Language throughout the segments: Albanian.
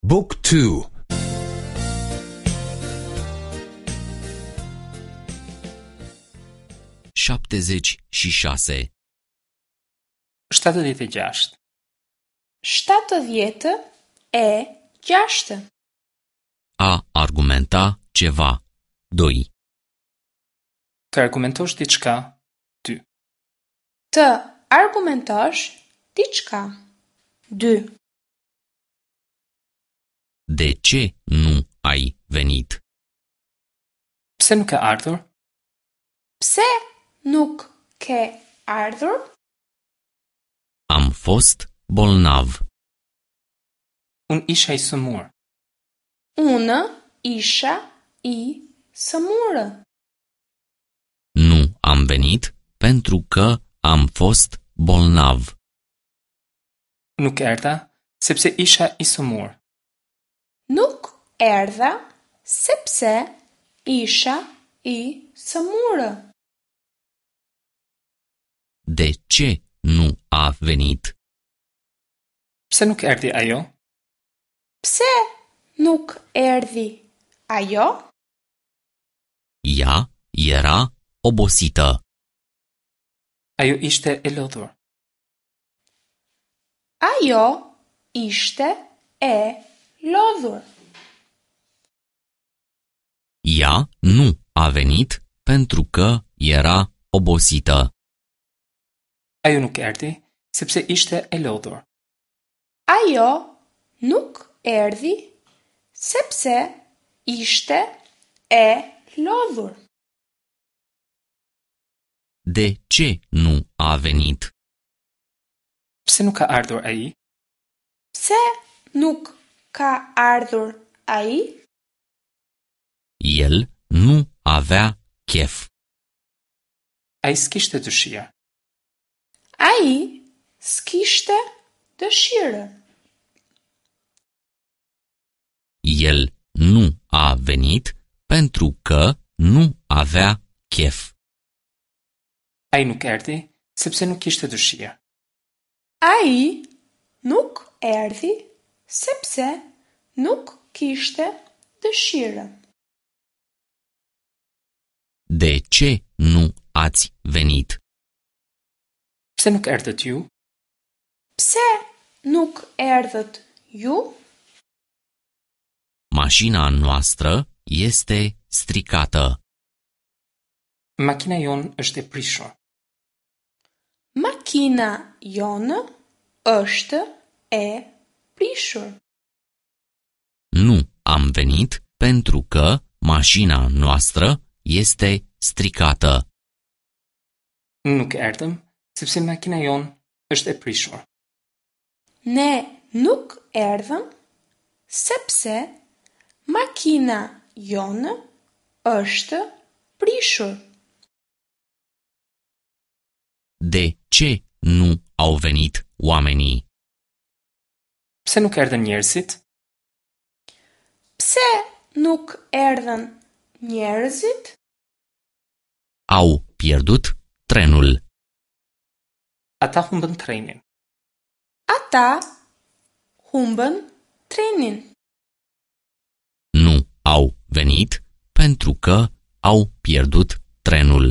บุ๊กทู 76. 76. 76. A argumenta ceva. 2. Të argumentosh diçka, 2. Të argumentosh diçka. 2. De ce nu ai venit? Pse nuk ke ardhur? Pse nuk ke ardhur? Am fost bolnav. Unë isha i sëmurë. Unë isha i sëmurë. Nu am venit pentru că am fost bolnav. Nuk erdha sepse isha i sëmurë. Nuk erdha sepse isha i sëmurë. De ce nu a venit? Pse nuk erdhi ajo? Pse nuk erdhi ajo? Ea era obosită. Ajo ishte e lodhur. Ajo ishte e lodhur. Ea nu a venit pentru că era obosită. Ajo nuk erdhi sepse ishte e lodhur. Ajo nuk erdhi sepse ishte e lodhur. De ce nu a venit? Pse nuk ka ardhur ai? Pse nuk ka ardhur ai? El nu avea chef. Ai s'kishte dëshirë. Ai s'kishte dëshirë. El nu a venit pentru că nu avea chef. Ai nuk erdhi sepse nuk kishte dëshirë. Ai nuk erdhi sepse nuk kishte dëshirë. De ce nu ați venit? Pse nuk erdhët ju? Pse nuk erdhët ju? Mașina noastră este stricată. Makina jonë është e prishur. Makina jonë është e prishur. Nu am venit pentru că mașina noastră este stricată. Nuk erdhëm sepse makina jonë është e prishur. Ne nuk erdhëm sepse makina jonë është prishur. De ce nu au venit oamenii? Pse nuk erdhën njerëzit? Pse nuk erdhën njerëzit? Au pierdut trenul. Ata humbën trenin. Ata humbën trenin. Nu au venit pentru că au pierdut trenul.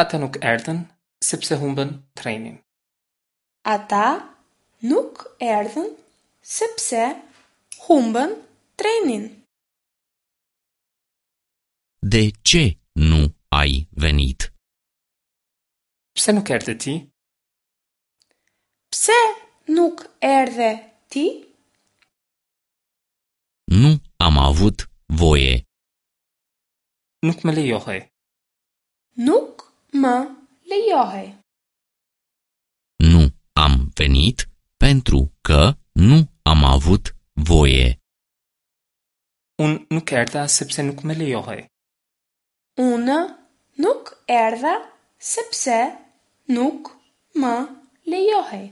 Ata nuk erdhën sepse humbën trenin. Ata nuk erdhën sepse humbën trenin. De ce nu ai venit? Pse nuk erdhe ti? Pse nuk erdhe ti? Nu am avut voie. Nuk më lejohej. Nuk më lejohej. Nu am venit pentru că nu am avut voie. Unë nuk erdha sepse nuk më lejohej. Unë nuk erdha sepse nuk më lejohej.